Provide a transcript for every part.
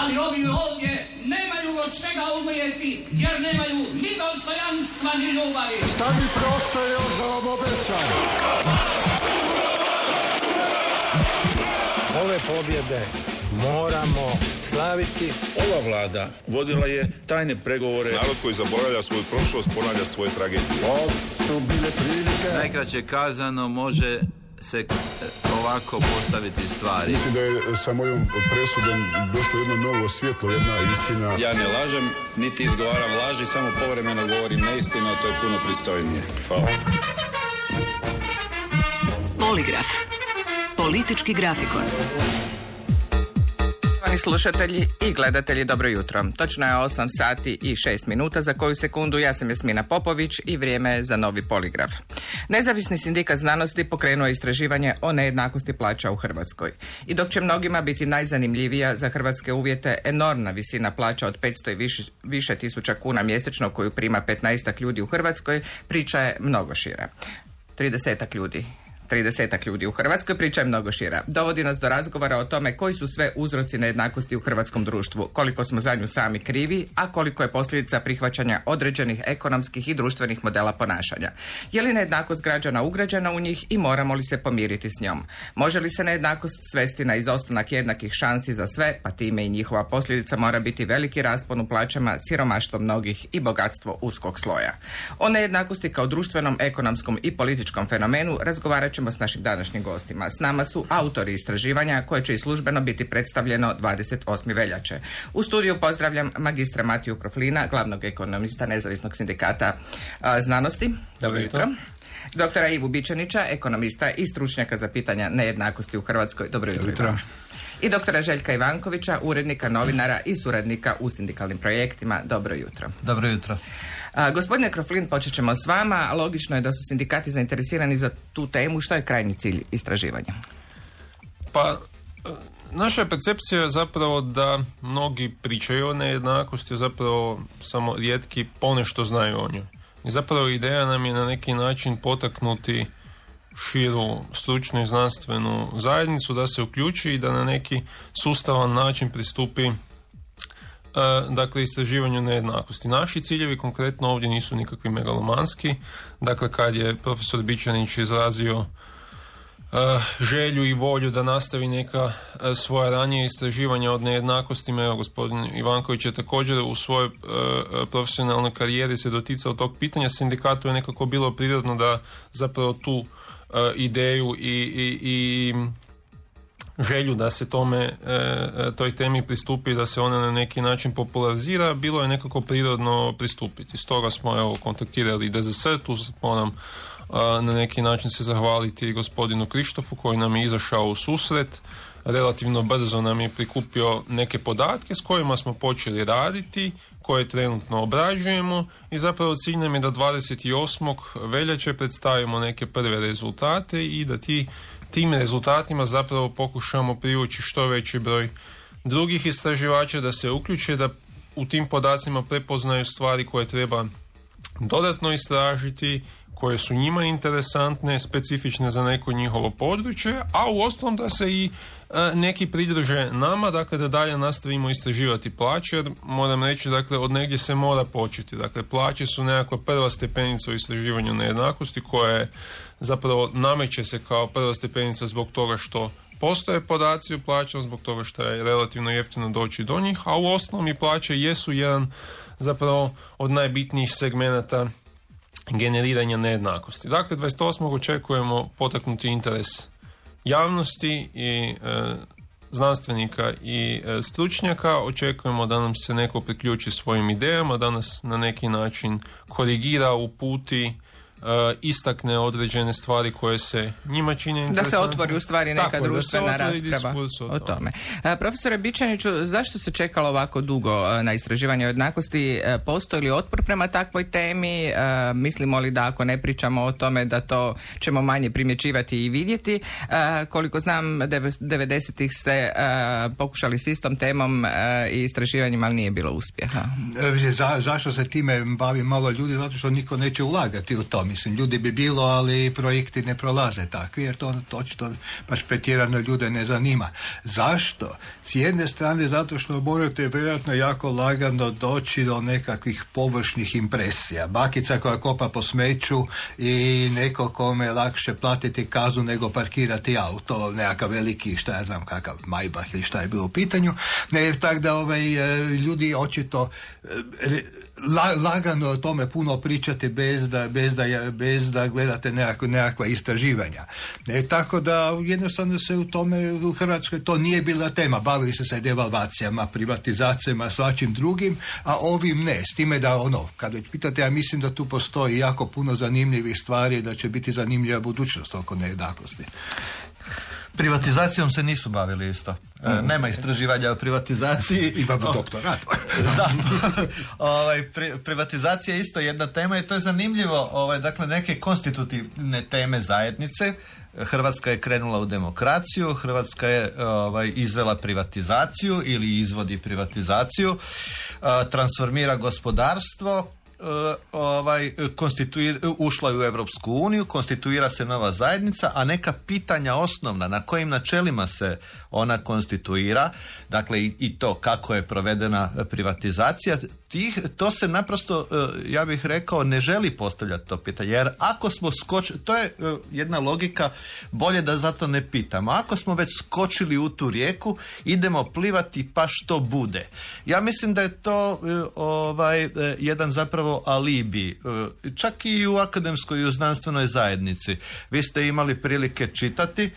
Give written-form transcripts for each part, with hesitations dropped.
ali ovi ovdje nemaju od čega umrijeti, jer nemaju ni dostojanstva, ni ljubavi. Šta mi preostaje još za vam obećam? Ove pobjede moramo slaviti. Ova vlada vodila je tajne pregovore. Narod koji zaboravlja svoju prošlost ponavlja svoje tragedije. Ovo su bile prilike. Najkraće kazano može se ovako postaviti stvari. Mislim da je sa mojom presudom došlo jedno novo svjetlo, jedna istina. Ja ne lažem, niti izgovaram laži, samo povremeno govorim neistinu, a to je puno pristojnije. Hvala. Poligraf. Politički grafikon. Slušatelji i gledatelji, dobro jutro. Točno je 8 sati i 6 minuta. Za koju sekundu ja sam Jasmina Popović i vrijeme je za novi poligraf. Nezavisni sindikat znanosti pokrenuo je istraživanje o nejednakosti plaća u Hrvatskoj. I dok će mnogima biti najzanimljivija za hrvatske uvjete enormna visina plaća od 500 i više tisuća kuna mjesečno koju prima 15 ljudi u Hrvatskoj, priča je mnogo šira. 30 ljudi u Hrvatskoj, priča je mnogo šira. Dovodi nas do razgovora o tome koji su sve uzroci nejednakosti u hrvatskom društvu, koliko smo za nju sami krivi, a koliko je posljedica prihvaćanja određenih ekonomskih i društvenih modela ponašanja. Je li nejednakost građana ugrađena u njih i moramo li se pomiriti s njom? Može li se nejednakost svesti na izostanak jednakih šansi za sve, pa time i njihova posljedica mora biti veliki raspon u plaćama, siromaštvo mnogih i bogatstvo uskog sloja? O nejednakosti kao društvenom, ekonomskom i političkom fenomenu razgovarat ćemo s našim današnjim gostima. S nama su autori istraživanja koje će i službeno biti predstavljeno 28. veljače. U studiju pozdravljam magistra Matiju Kroflina, glavnog ekonomista Nezavisnog sindikata znanosti. Dobro jutro. Doktora Ivu Bičanića, ekonomista i stručnjaka za pitanja nejednakosti u Hrvatskoj. Dobro jutro. I doktora Željka Ivankovića, urednika, novinara i suradnika u sindikalnim projektima. Dobro jutro. Dobro jutro. Gospodine Kroflin, počet ćemo s vama. Logično je da su sindikati zainteresirani za tu temu. Što je krajnji cilj istraživanja? Pa, naša percepcija je zapravo da mnogi pričaju o nejednakosti, zapravo samo rijetki ponešto znaju o njoj. I zapravo ideja nam je na neki način potaknuti širu stručnu i znanstvenu zajednicu da se uključi i da na neki sustavan način pristupi dakle istraživanju nejednakosti. Naši ciljevi konkretno ovdje nisu nikakvi megalomanski. Dakle, kad je profesor Bičanić izrazio želju i volju da nastavi neka svoja ranije istraživanja od nejednakostima, evo gospodin Ivanković je također u svojoj profesionalnoj karijeri se doticao tog pitanja. Sindikatu je nekako bilo prirodno da zapravo tu ideju i želju da se toj temi pristupi, da se ona na neki način popularizira, bilo je nekako prirodno pristupiti. Stoga smo kontaktirali DZS, tu moram na neki način se zahvaliti gospodinu Krištofu koji nam je izašao u susret. Relativno brzo nam je prikupio neke podatke s kojima smo počeli raditi, koje trenutno obrađujemo i zapravo cilj nam je da 28. veljače predstavimo neke prve rezultate i da tim rezultatima zapravo pokušamo privući što veći broj drugih istraživača da se uključe, da u tim podacima prepoznaju stvari koje treba dodatno istražiti, koje su njima interesantne, specifične za neko njihovo područje, a u ostalom da se i neki pridruže nama, dakle da dalje nastavimo istraživati plaće, jer moram reći, dakle, od negdje se mora početi. Dakle, plaće su nekakva prva stepenica u istraživanju nejednakosti koja je zapravo nameće se kao prva stepenica zbog toga što postoje podaci o plaćama, zbog toga što je relativno jeftino doći do njih, a u osnovom i plaće jesu jedan zapravo od najbitnijih segmenata generiranja nejednakosti. Dakle, 28. očekujemo potaknuti interes javnosti i znanstvenika i stručnjaka. Očekujemo da nam se neko priključi svojim idejama, da nas na neki način korigira, uputi, istakne određene stvari koje se njima čine interesantne. Da se otvori u stvari neka društvena rasprava o tome. Profesore Bičaniću, zašto se čekalo ovako dugo na istraživanje o jednakosti? Postoji li otpor prema takvoj temi? Mislimo li da ako ne pričamo o tome da to ćemo manje primjećivati i vidjeti? Koliko znam, 90-ih ste pokušali s istom temom i istraživanjem, ali nije bilo uspjeha. Zašto se time bavi malo ljudi? Zato što niko neće ulagati u tome. Mislim, ljudi bi bilo, ali projekti ne prolaze takvi, jer to očito baš pretjerano ljude ne zanima. Zašto? S jedne strane, zato što morate vjerojatno jako lagano doći do nekakvih površnih impresija. Bakica koja kopa po smeću i neko kome je lakše platiti kaznu nego parkirati auto, nekakav veliki, šta ja znam, kakav Maybach ili šta je bilo u pitanju. Tako da ljudi očito lagano o tome puno pričate bez da gledate nekakva istraživanja. Tako da jednostavno se u tome u Hrvatskoj to nije bila tema. Bavili su se devalvacijama, privatizacijama, svačim drugim, a ovim ne. S time da kad već pitate, ja mislim da tu postoji jako puno zanimljivih stvari, da će biti zanimljiva budućnost oko nejednakosti. Privatizacijom se nisu bavili isto. Nema istraživanja o privatizaciji. Imamo doktorat. Da. Privatizacija je isto jedna tema i to je zanimljivo. Dakle, neke konstitutivne teme zajednice. Hrvatska je krenula u demokraciju, Hrvatska je izvela privatizaciju ili izvodi privatizaciju, transformira gospodarstvo, ušla je u Europsku uniju, konstituira se nova zajednica, a neka pitanja osnovna na kojim načelima se ona konstituira, dakle i to kako je provedena privatizacija, to se naprosto, ja bih rekao, ne želi postavljati to pitanje, jer ako smo to je jedna logika, bolje da zato ne pitamo. Ako smo već skočili u tu rijeku, idemo plivati pa što bude. Ja mislim da je to jedan zapravo alibi, čak i u akademskoj i u znanstvenoj zajednici. Vi ste imali prilike čitati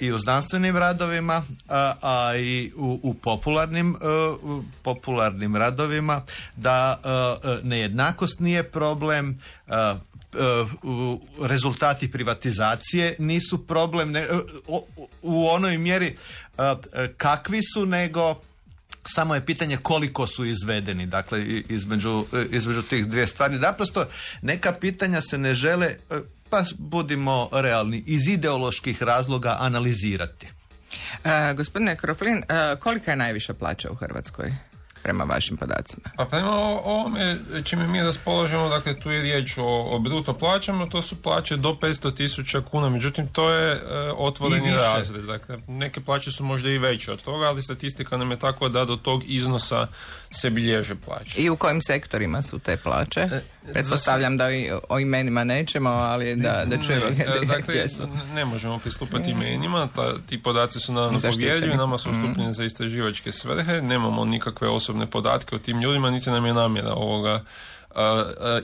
i u znanstvenim radovima, a i u popularnim radovima da nejednakost nije problem, rezultati privatizacije nisu problem u onoj mjeri kakvi su, nego samo je pitanje koliko su izvedeni. Dakle, između tih dvije stvari. Naprosto neka pitanja se ne žele, pa budimo realni, iz ideoloških razloga analizirati. Gospodine Kroflin, kolika je najviša plaća u Hrvatskoj prema vašim podacima? Pa prema ovome čime mi raspolažemo, dakle tu je riječ o bruto plaćama, to su plaće do 500.000 kuna, međutim to je otvoreni razred. Dakle, neke plaće su možda i veće od toga, ali statistika nam je tako da do tog iznosa se bilježe plaće. I u kojim sektorima su te plaće? Pretpostavljam da o imenima nećemo, ali da čujemo gdje su. Ne možemo pristupati imenima, ti podaci su naravno povjerljivi, nama su ustupljeni za istraživačke svrhe, nemamo nikakve osobne podatke o tim ljudima, niti nam je namjera ovoga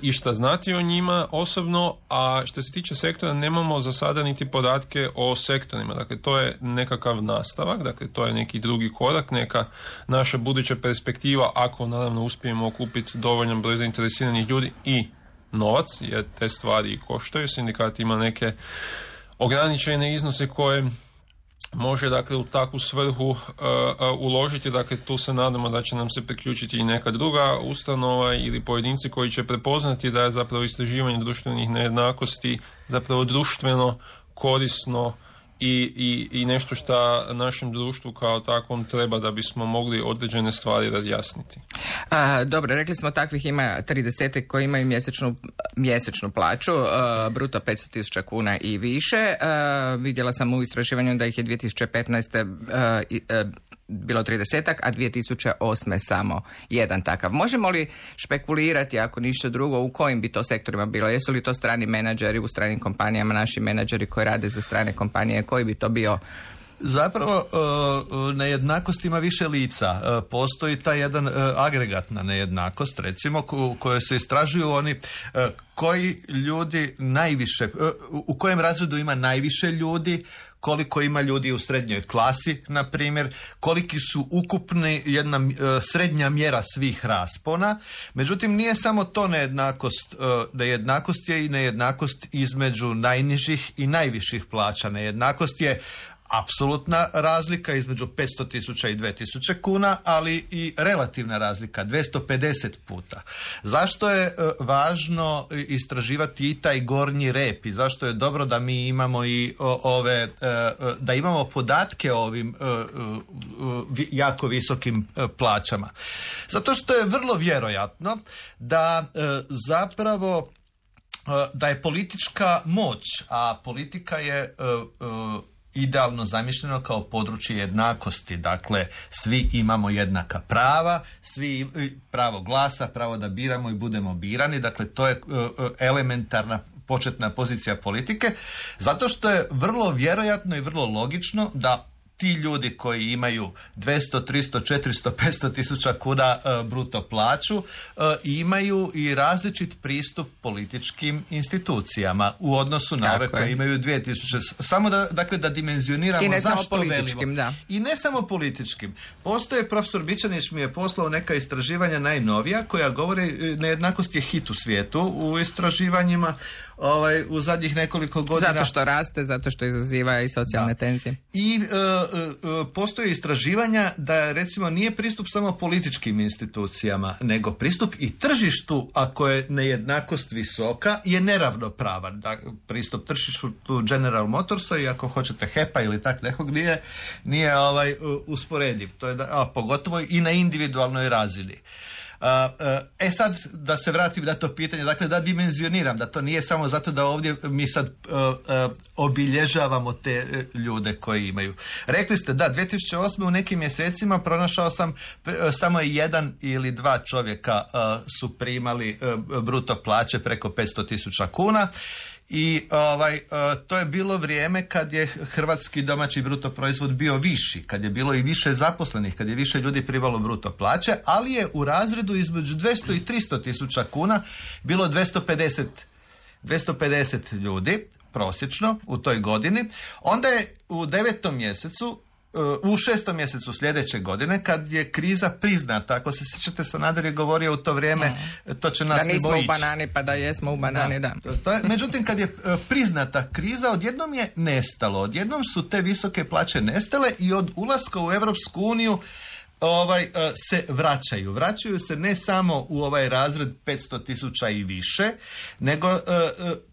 išta znati o njima osobno, a što se tiče sektora nemamo za sada niti podatke o sektorima, dakle to je nekakav nastavak, dakle to je neki drugi korak, neka naša buduća perspektiva, ako naravno uspijemo okupiti dovoljan broj zainteresiranih ljudi i novac, jer te stvari koštaju. Sindikat ima neke ograničene iznose koje može dakle u takvu svrhu uložiti, dakle tu se nadamo da će nam se priključiti i neka druga ustanova ili pojedinci koji će prepoznati da je zapravo istraživanje društvenih nejednakosti zapravo društveno korisno i nešto što našem društvu kao takvom treba da bismo mogli određene stvari razjasniti. Dobro, rekli smo takvih ima 30 koji imaju mjesečnu plaću, bruto 500.000 kuna i više. Vidjela sam u istraživanju da ih je 2015. Bilo 30-ak, a 2008. samo jedan takav. Možemo li špekulirati, ako ništa drugo, u kojim bi to sektorima bilo? Jesu li to strani menadžeri u stranim kompanijama, naši menadžeri koji rade za strane kompanije, koji bi to bio? Zapravo, nejednakost ima više lica. Postoji ta jedan agregatna nejednakost, recimo, u kojoj se istražuju oni koji ljudi najviše, u kojem razredu ima najviše ljudi, koliko ima ljudi u srednjoj klasi, na primjer, koliki su ukupni jedna srednja mjera svih raspona. Međutim, nije samo to nejednakost. Nejednakost je i nejednakost između najnižih i najviših plaća. Nejednakost je apsolutna razlika između 500.000 i 2.000 kuna, ali i relativna razlika 250 puta. Zašto je važno istraživati i taj gornji rep i zašto je dobro da mi imamo i da imamo podatke o ovim jako visokim plaćama? Zato što je vrlo vjerojatno da zapravo da je politička moć, a politika je idealno zamišljeno kao područje jednakosti. Dakle, svi imamo jednaka prava, svi pravo glasa, pravo da biramo i budemo birani. Dakle, to je elementarna početna pozicija politike, zato što je vrlo vjerojatno i vrlo logično da ti ljudi koji imaju 200, 300, 400, 500 tisuća kuna bruto plaću imaju i različit pristup političkim institucijama u odnosu na ove koje imaju 2000. Samo da dimenzioniramo zašto velimo. Da. I ne samo političkim. Postoje, profesor Bičanić mi je poslao neka istraživanja najnovija koja govori nejednakost je hit u svijetu u istraživanjima u zadnjih nekoliko godina. Zato što raste, zato što izaziva i socijalne tenzije. I postoje istraživanja da recimo nije pristup samo političkim institucijama, nego pristup i tržištu, ako je nejednakost visoka, je neravnopravan. Da, pristup tržištu General Motorsa i ako hoćete HEP-a ili tak nekog nije usporediv. To je pogotovo i na individualnoj razini. Sad da se vratim na to pitanje, dakle da dimenzioniram, da to nije samo zato da ovdje mi sad obilježavamo te ljude koji imaju. Rekli ste da 2008. u nekim mjesecima pronašao sam samo 1 ili 2 čovjeka su primali bruto plaće preko 500.000 kuna. I to je bilo vrijeme kad je hrvatski domaći bruto proizvod bio viši, kad je bilo i više zaposlenih, kad je više ljudi primalo bruto plaće, ali je u razredu između 200 i 300 tisuća kuna bilo 250 ljudi prosječno u toj godini. Onda je u 9. mjesecu, u 6. mjesecu sljedeće godine, kad je kriza priznata, ako se sjećate, Sanader je govorio u to vrijeme, to će nas ne bojići. Da nismo u banani, pa da jesmo u banani, da. Međutim, kad je priznata kriza, odjednom je nestalo. Odjednom su te visoke plaće nestale i od ulaska u Europsku uniju se vraćaju. Vraćaju se ne samo u ovaj razred 500.000 i više, nego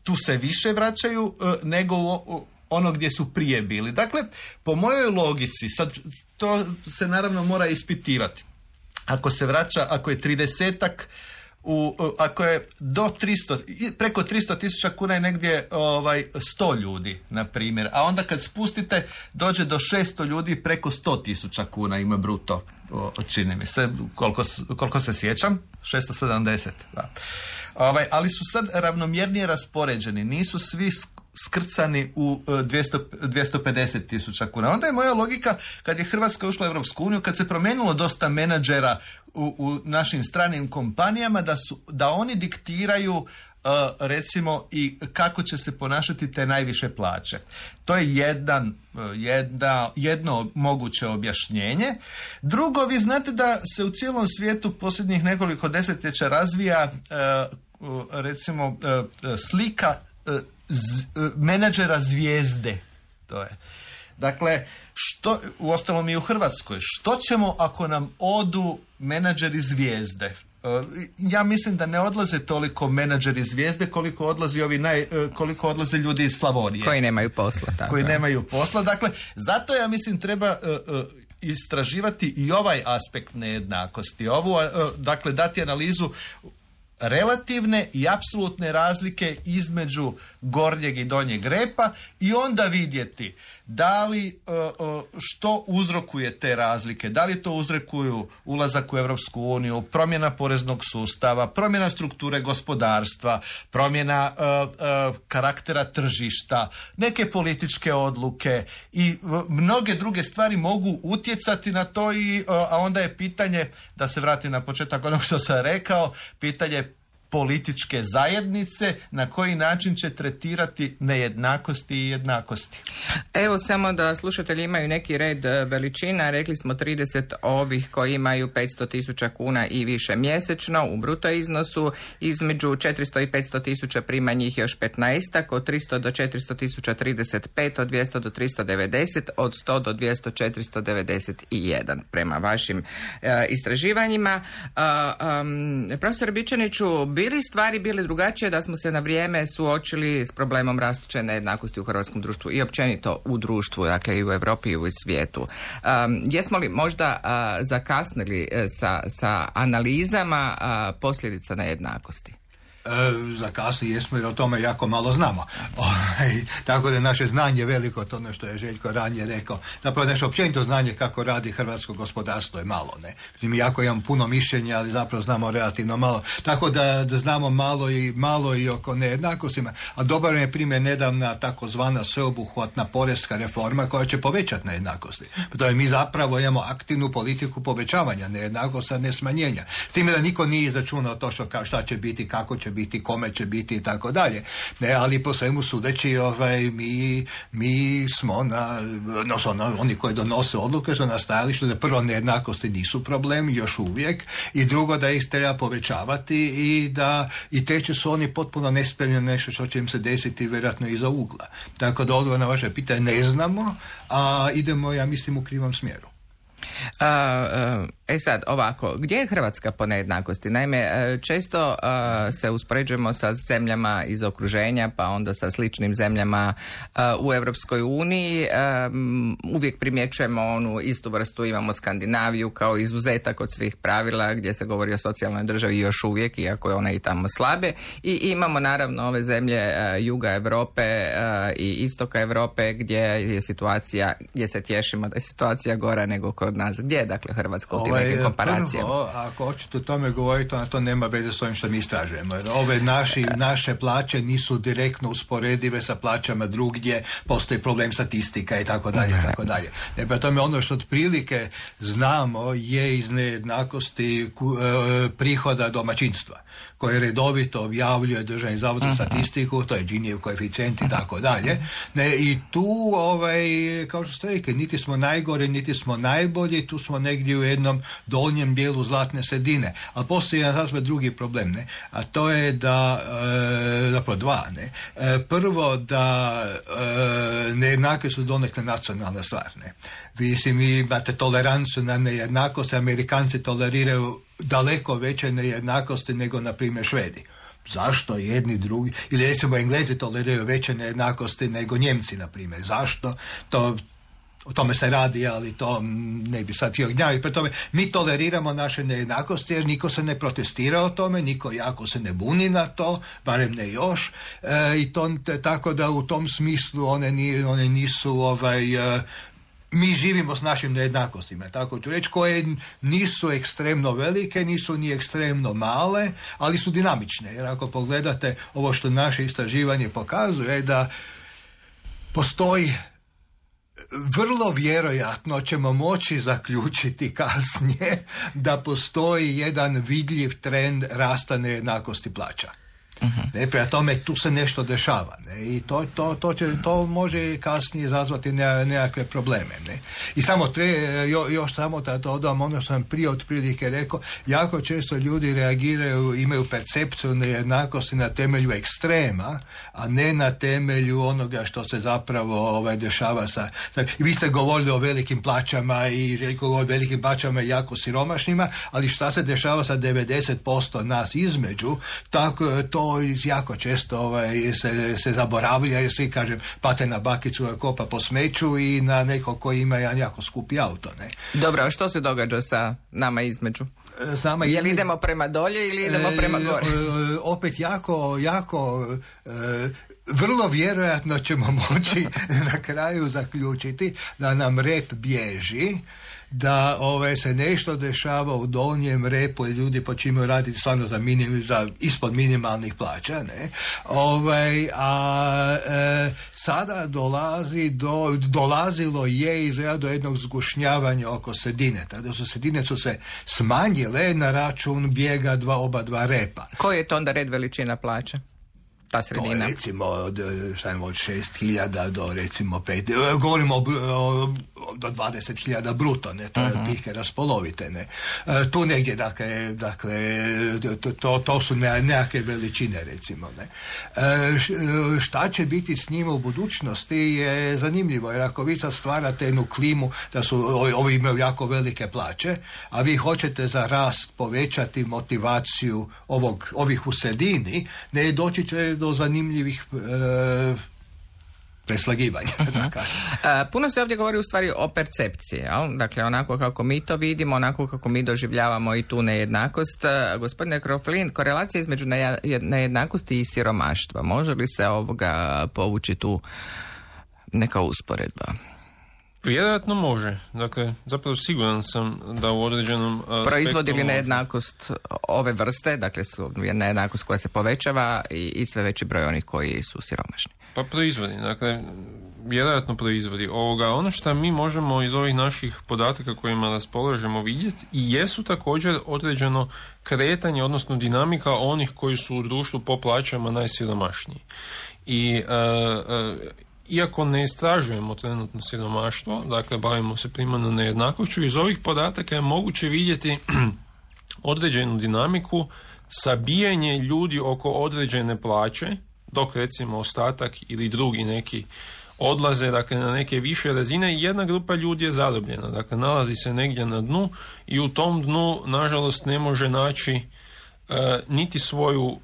tu se više vraćaju nego u ono gdje su prije bili. Dakle, po mojoj logici, sad to se naravno mora ispitivati. Ako se vraća, ako je 30-ak, ako je do 300, preko 300.000 kuna je negdje 100 ljudi, na primjer. A onda kad spustite, dođe do 600 ljudi, preko 100.000 kuna ima bruto, čini mi se, koliko se sjećam, 670. Da. Ali su sad ravnomjernije raspoređeni, nisu svi skrcani u 250.000 kuna. Onda je moja logika, kad je Hrvatska ušla u Europsku uniju, kad se promijenilo dosta menadžera u našim stranim kompanijama, da oni diktiraju recimo i kako će se ponašati te najviše plaće. To je jedno moguće objašnjenje. Drugo, vi znate da se u cijelom svijetu posljednjih nekoliko desetljeća razvija recimo slika menadžera zvijezde. To je. Dakle, uostalom i u Hrvatskoj, što ćemo ako nam odu menadžeri zvijezde? Ja mislim da ne odlaze toliko menadžeri zvijezde koliko odlaze ljudi iz Slavonije. Koji nemaju posla. Tako. Koji nemaju posla. Dakle, zato ja mislim treba istraživati i ovaj aspekt nejednakosti. Dakle, dati analizu relativne i apsolutne razlike između gornjeg i donjeg repa i onda vidjeti da li što uzrokuje te razlike, da li to uzrokuju ulazak u Europsku uniju, promjena poreznog sustava, promjena strukture gospodarstva, promjena karaktera tržišta, neke političke odluke i mnoge druge stvari mogu utjecati na to a onda je pitanje, da se vratim na početak onog što sam rekao, pitanje političke zajednice na koji način će tretirati nejednakosti i jednakosti. Evo samo da slušatelji imaju neki red veličina. Rekli smo 30 ovih koji imaju 500.000 kuna i više mjesečno u bruto iznosu. Između 400 i 500.000 prima njih još 15, od 300 do 400.000 35, od 200 do 390, od 100 do 200 491 prema vašim istraživanjima. Profesor Bičaniću, bili stvari bile drugačije da smo se na vrijeme suočili s problemom rastuće nejednakosti u hrvatskom društvu i općenito u društvu, dakle i u Europi i u svijetu. Jesmo li možda zakasnili sa analizama posljedica nejednakosti? Zakasnili jesmo jer o tome jako malo znamo. Tako da je naše znanje veliko, to ono što je Željko ranije rekao. Zapravo naše općenito znanje kako radi hrvatsko gospodarstvo je malo. Ne? Mi jako imamo puno mišljenja, ali zapravo znamo relativno malo. Tako da znamo malo i oko nejednakostima. A dobar je primjer nedavna takozvana sveobuhvatna porezka reforma koja će povećati nejednakosti. To je mi zapravo imamo aktivnu politiku povećavanja nejednakosti, a ne smanjenja. S time da niko nije izračunao to šta će biti, kako će biti, kome će biti i tako dalje. Ne, ali po svemu sudeći mi smo oni koji donose odluke su na stajalištu da prvo nejednakosti nisu problem još uvijek i drugo da ih treba povećavati i treće su oni potpuno nespremni na nešto što će im se desiti vjerojatno iza ugla. Tako da odgovor na vaše pitanje ne znamo, a idemo, ja mislim, u krivom smjeru. Sad, ovako, gdje je Hrvatska po nejednakosti? Naime, često se uspoređujemo sa zemljama iz okruženja, pa onda sa sličnim zemljama u Europskoj uniji. Uvijek primjećujemo onu istu vrstu, imamo Skandinaviju kao izuzetak od svih pravila gdje se govori o socijalnoj državi još uvijek, iako je ona i tamo slabe. I imamo naravno ove zemlje juga Europe i istoka Europe gdje je situacija, gdje se tješimo da je situacija gora nego kod nas. Gdje je dakle Hrvatska u tim nekim komparacijama? Prvo, ako hoćete o tome govoriti, onda to nema veze s ovim što mi istražujemo. Jer naše plaće nisu direktno usporedive sa plaćama drugdje, postoji problem statistika i tako dalje, i tako dalje. Prema tome, ono što otprilike znamo je iz nejednakosti prihoda domaćinstva, koje redovito objavljuje Državni zavod za statistiku, to je Ginijev koeficijent i tako dalje. I tu, kao što ste rekli, niti smo najgore, niti smo najbolji, tu smo negdje u jednom donjem dijelu zlatne sredine. Ali postoji jedan sasvim drugi problem, ne? A to je da, zapravo dva, ne? Prvo da nejednake su donekle nacionalna stvar, ne? Vi imate toleranciju na nejednakost, Amerikanci toleriraju daleko veće nejednakosti nego, na primjer, Švedi. Zašto jedni drugi, ili recimo Englezi toleriraju veće nejednakosti nego Njemci, na primjer. Zašto? O tome se radi, ali to ne bi sad htio gnjaviti. Pre tome, mi toleriramo naše nejednakosti jer niko se ne protestira o tome, niko jako se ne buni na to, barem ne još. I to, tako da u tom smislu one nisu mi živimo s našim nejednakostima, tako ću reći, koje nisu ekstremno velike, nisu ni ekstremno male, ali su dinamične. Jer ako pogledate ovo što naše istraživanje pokazuje, da postoji, vrlo vjerojatno ćemo moći zaključiti kasnije da postoji jedan vidljiv trend rasta nejednakosti plaća. Prema tome tu se nešto dešava, ne? I to može kasnije izazvati nekakve probleme, ne? I samo još samo da dodam ono što sam prije otprilike rekao, jako često ljudi reagiraju, imaju percepciju nejednakosti na temelju ekstrema, a ne na temelju onoga što se zapravo dešava sa. Vi ste govorili o velikim plaćama i Željko govori o velikim plaćama i jako siromašnima, ali šta se dešava sa 90% nas između, tako to jako često se zaboravlja, jer svi, kažem, pate na bakicu kopa po smeću i na nekog koji ima jedan jako skupi auto, ne? Dobro, a što se događa sa nama između? Jel idemo prema dolje ili idemo prema gore? Opet jako vrlo vjerojatno ćemo moći na kraju zaključiti da nam rep bježi, da se nešto dešava u donjem repu i ljudi počinju raditi stvarno za ispod minimalnih plaća, ne? Sada dolazilo je izgleda do jednog zgušnjavanja oko sredine. Tada sredine su se smanjile na račun bijega oba dva repa. Koji je to onda red veličina plaća? Ta sredina. To je recimo od 6.000 do recimo 5, govorimo do 20.000 bruto, ne, to je otprilike raspolovite, ne. Tu negdje, dakle, to su nekakve veličine, recimo, ne. Šta će biti s njima u budućnosti je zanimljivo, jer ako vi sad stvarate jednu klimu da su ovi imaju jako velike plaće, a vi hoćete za rast povećati motivaciju ovih u sredini, ne, doći će do zanimljivih preslagivanja. Puno se ovdje govori u stvari o percepciji, jel? Dakle onako kako mi to vidimo, onako kako mi doživljavamo i tu nejednakost. Gospodine Kroflin, korelacija između nejednakosti i siromaštva, može li se povući tu neka usporedba? Vjerojatno može. Dakle, zapravo siguran sam da u određenom proizvodi li nejednakost ove vrste, dakle nejednakost koja se povećava i sve veći broj onih koji su siromašni? Pa proizvodi, dakle, vjerojatno proizvodi ovoga. Ono što mi možemo iz ovih naših podataka kojima raspolažemo vidjeti i jesu također određeno kretanje, odnosno dinamika onih koji su u društvu po plaćama najsiromašniji. I iako ne istražujemo trenutno siromaštvo, dakle bavimo se primarno nejednakošću, iz ovih podataka je moguće vidjeti određenu dinamiku, sabijanje ljudi oko određene plaće, dok recimo ostatak ili drugi neki odlaze, dakle, na neke više razine i jedna grupa ljudi je zarobljena, dakle nalazi se negdje na dnu i u tom dnu nažalost ne može naći niti svoju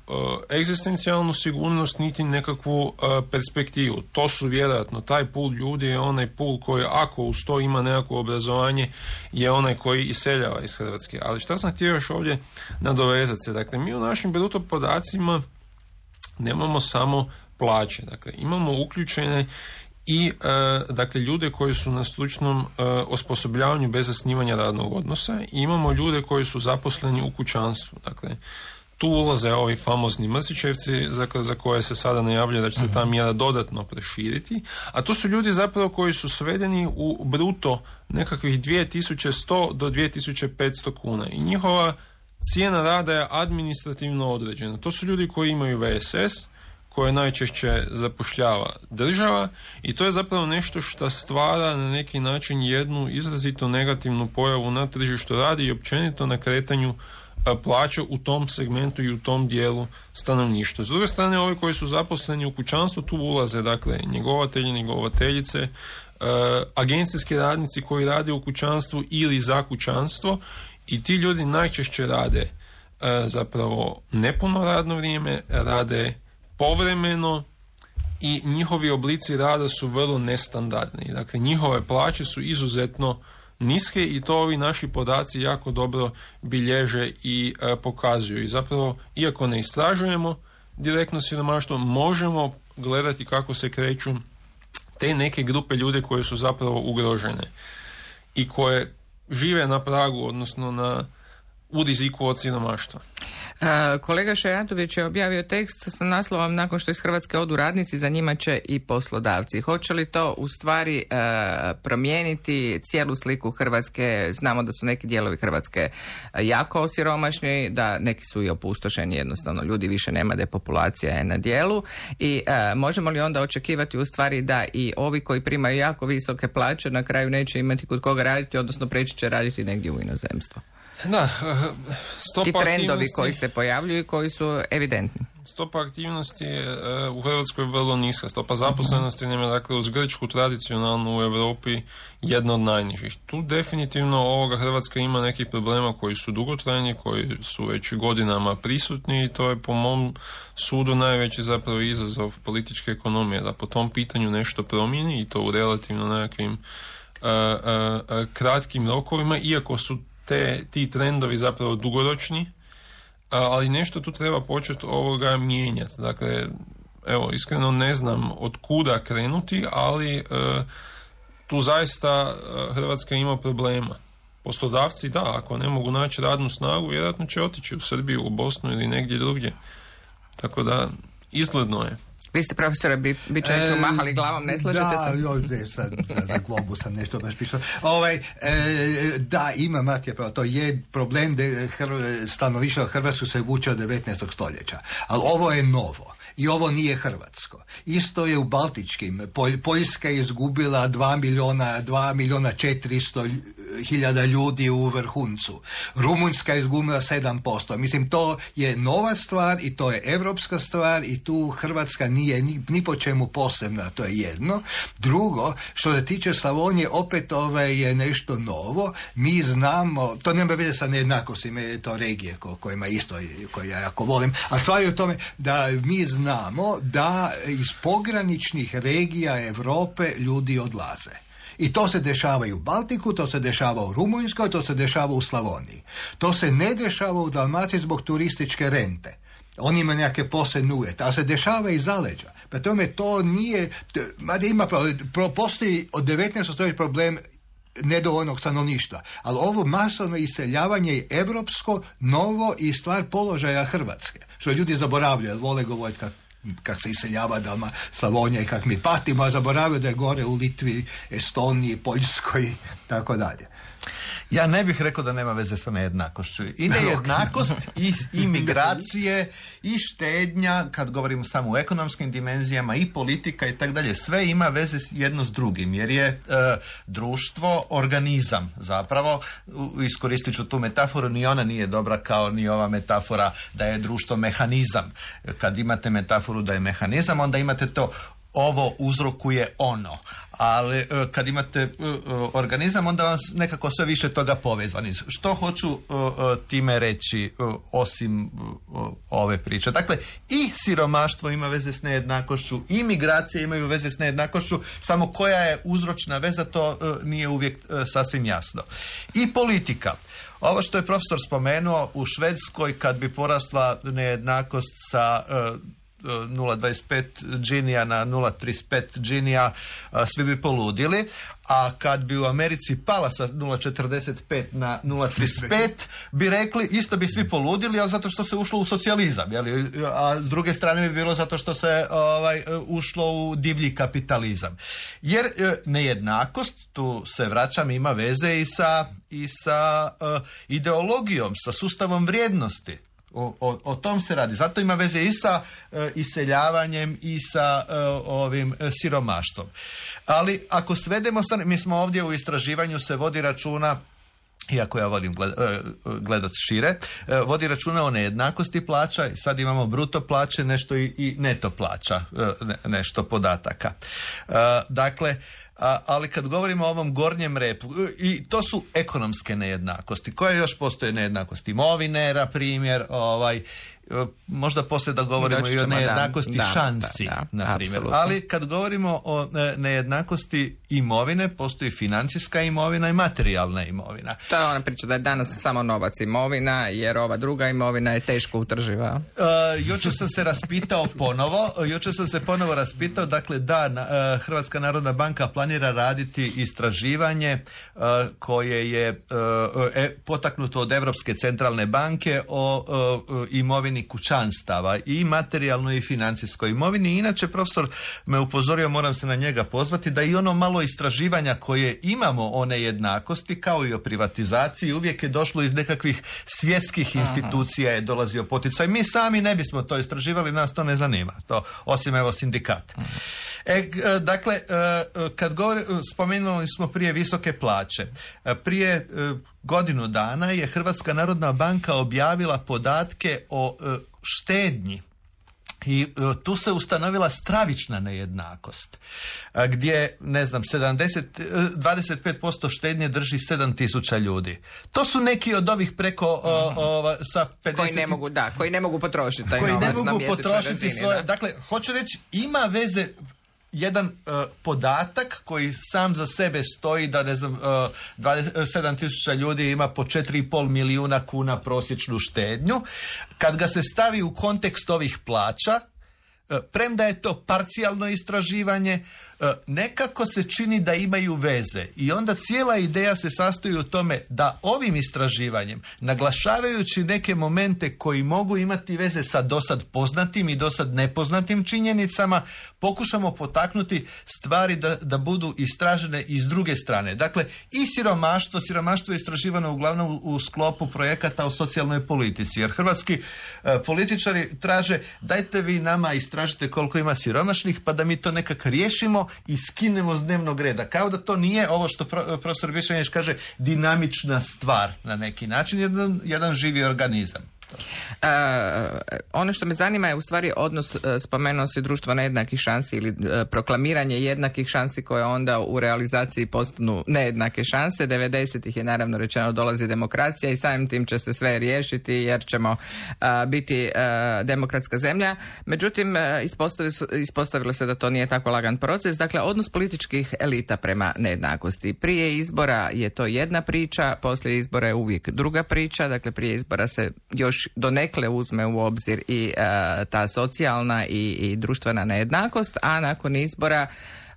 egzistencijalnu sigurnost, niti nekakvu perspektivu. To su vjerojatno, taj pul ljudi je onaj pul koji, ako uz to ima nekakvo obrazovanje, je onaj koji iseljava iz Hrvatske. Ali šta sam htio još ovdje nadovezati se? Dakle, mi u našim bruto podacima nemamo samo plaće, dakle, imamo uključene i dakle ljude koji su na stručnom osposobljavanju bez zasnivanja radnog odnosa i imamo ljude koji su zaposleni u kućanstvu. Dakle, tu ulaze ovi famozni Mrsićevci za koje se sada najavljuje da će se ta mjera dodatno proširiti, a to su ljudi zapravo koji su svedeni u bruto nekakvih 2100 do 2500 kuna i njihova cijena rada je administrativno određena. To su ljudi koji imaju VSS, koje najčešće zapošljava država i to je zapravo nešto što stvara na neki način jednu izrazito negativnu pojavu na tržištu rada i općenito na kretanju plaća u tom segmentu i u tom dijelu stanovništva. S druge strane, ovi koji su zaposleni u kućanstvu, tu ulaze dakle njegovatelji, njegovateljice, agencijski radnici koji rade u kućanstvu ili za kućanstvo i ti ljudi najčešće rade zapravo nepuno radno vrijeme, rade povremeno i njihovi oblici rada su vrlo nestandardni. Dakle, njihove plaće su izuzetno niske i to ovi naši podaci jako dobro bilježe i pokazuju. I zapravo, iako ne istražujemo direktno siromaštvo, možemo gledati kako se kreću te neke grupe ljude koje su zapravo ugrožene i koje žive na pragu, odnosno u riziku od siromaštva. Kolega Šajatović je objavio tekst sa naslovom nakon što iz Hrvatske odu radnici, za njima će i poslodavci. Hoće li to u stvari promijeniti cijelu sliku Hrvatske? Znamo da su neki dijelovi Hrvatske jako osiromašni, da neki su i opustošeni, jednostavno ljudi više nema, depopulacija je na dijelu i možemo li onda očekivati u stvari da i ovi koji primaju jako visoke plaće na kraju neće imati kod koga raditi, odnosno preći će raditi negdje u inozemstvo? Da, ti trendovi koji se pojavljuju i koji su evidentni. Stopa aktivnosti je u Hrvatskoj vrlo niska. Stopa zaposlenosti nam je, dakle, uz Grčku tradicionalno u Europi jedna od najnižih. Tu definitivno Hrvatska ima nekih problema koji su dugotrajni, koji su već godinama prisutni i to je po mom sudu najveći zapravo izazov političke ekonomije, da po tom pitanju nešto promijeni i to u relativno nekakvim kratkim rokovima, iako su ti trendovi zapravo dugoročni, ali nešto tu treba početi mijenjati. Dakle, evo, iskreno ne znam od kuda krenuti, ali tu zaista Hrvatska ima problema. Poslodavci, da, ako ne mogu naći radnu snagu, vjerojatno će otići u Srbiju, u Bosnu ili negdje drugdje. Tako da, izgledno je. Vi ste, profesore Bičaniću, mahali glavom, ne slažete se? Za Globu sam nešto baš pisao. Da, ima Matija pravo, to je problem da stanovništvo Hrvatsko se vuče od 19. stoljeća. Ali ovo je novo. I ovo nije hrvatsko. Isto je u baltičkim. Poljska je izgubila 2.400.000 ljudi u vrhuncu. Rumunjska je izgubila 7%. Mislim, to je nova stvar i to je evropska stvar i tu Hrvatska nije nije ni po čemu posebna, to je jedno. Drugo, što se tiče Slavonije, opet je nešto novo. Mi znamo, to nema veze sa nejednakostima, je to regije kojima isto, koje ja jako volim, a stvar je u tome da mi znamo da iz pograničnih regija Europe ljudi odlaze. I to se dešava i u Baltiku, to se dešava u Rumunjskoj, to se dešava u Slavoniji. To se ne dešava u Dalmaciji zbog turističke rente. On ima neke posebne uvjete, a se dešava i zaleđa. Pa tome to nije, postoji od 19. stoljeća problem nedovoljnog stanovništva, ali ovo masovno iseljavanje je europsko, novo i stvar položaja Hrvatske. Što ljudi zaboravljaju, vole govoriti kako se iseljava Slavonija i kako mi patimo, a zaboravljaju da je gore u Litvi, Estoniji, Poljskoj i tako dalje. Ja ne bih rekao da nema veze sa nejednakošću. I nejednakost, i migracije, i štednja, kad govorimo samo o ekonomskim dimenzijama, i politika i tako dalje, sve ima veze jedno s drugim, jer je društvo organizam zapravo. Iskoristit ću tu metaforu, ni ona nije dobra kao ni ova metafora da je društvo mehanizam. Kad imate metaforu da je mehanizam, onda imate to ovo uzrokuje ono, ali kad imate organizam, onda vam nekako sve više toga povezani. Što hoću time reći osim ove priče? Dakle, i siromaštvo ima veze s nejednakošću, i migracije imaju veze s nejednakošću, samo koja je uzročna veza, to nije uvijek sasvim jasno. I politika. Ovo što je profesor spomenuo, u Švedskoj kad bi porasla nejednakost sa 0,25 džinija na 0,35 džinija, svi bi poludili, a kad bi u Americi pala sa 0,45 na 0,35 bi rekli isto bi svi poludili, ali zato što se ušlo u socijalizam, jeli? A s druge strane bi bilo zato što se ušlo u divlji kapitalizam. Jer nejednakost, tu se vraćam, ima veze i sa ideologijom, sa sustavom vrijednosti. O tom se radi. Zato ima veze i sa iseljavanjem i sa ovim siromaštvom. Ali ako svedemo, mi smo ovdje u istraživanju se vodi računa, iako ja volim gledat šire, vodi računa o nejednakosti plaća i sad imamo bruto plaće, nešto i neto plaća, nešto podataka. Dakle, ali kad govorimo o ovom gornjem repu, i to su ekonomske nejednakosti. Koje još postoje nejednakosti? Imovine, na primjer, možda poslije da govorimo i o nejednakosti šansi, na primjer. Ali kad govorimo o nejednakosti imovine, postoji financijska imovina i materijalna imovina. To je ona priča da je danas samo novac imovina, jer ova druga imovina je teško utrživa. Jučer sam se ponovo raspitao, dakle Hrvatska narodna banka planira raditi istraživanje koje je potaknuto od Europske centralne banke o imovini kućanstava, i materijalnoj i financijskoj imovini. Inače, profesor me upozorio, moram se na njega pozvati, da i ono malo istraživanja koje imamo o nejednakosti, kao i o privatizaciji, uvijek je došlo iz nekakvih svjetskih institucija, je dolazio poticaj. Mi sami ne bismo to istraživali, nas to ne zanima. To, osim evo sindikat. Dakle, kad spomenuli smo prije visoke plaće. Prije godinu dana je Hrvatska narodna banka objavila podatke o štednji. I tu se ustanovila stravična nejednakost, gdje, 25% štednje drži 7.000 ljudi. To su neki od ovih preko sa 50... Koji ne mogu potrošiti taj novac na mjesečnoj razini. Koji ne mogu potrošiti svoje... Dakle, hoću reći, ima veze jedan podatak koji sam za sebe stoji da 7.000 ljudi ima po 4,5 milijuna kuna prosječnu štednju. Kad ga se stavi u kontekst ovih plaća, premda je to parcijalno istraživanje, nekako se čini da imaju veze, i onda cijela ideja se sastoji u tome da ovim istraživanjem, naglašavajući neke momente koji mogu imati veze sa dosad poznatim i dosad nepoznatim činjenicama, pokušamo potaknuti stvari da budu istražene iz druge strane. Dakle, i siromaštvo je istraživano uglavnom u sklopu projekata o socijalnoj politici, jer hrvatski političari traže, dajte vi nama istražite koliko ima siromašnih, pa da mi to nekak riješimo i skinemo s dnevnog reda. Kao da to nije ovo što profesor Višnjanić kaže dinamična stvar na neki način, jedan živi organizam. Ono što me zanima je u stvari odnos, spomenuo si društvo nejednakih šansi ili proklamiranje jednakih šansi koje onda u realizaciji postanu nejednake šanse. 90-ih je naravno rečeno dolazi demokracija i samim tim će se sve riješiti jer ćemo biti demokratska zemlja. Međutim, ispostavilo se da to nije tako lagan proces. Dakle, odnos političkih elita prema nejednakosti. Prije izbora je to jedna priča, poslije izbora je uvijek druga priča. Dakle, prije izbora se još donekle uzme u obzir i ta socijalna i društvena nejednakost, a nakon izbora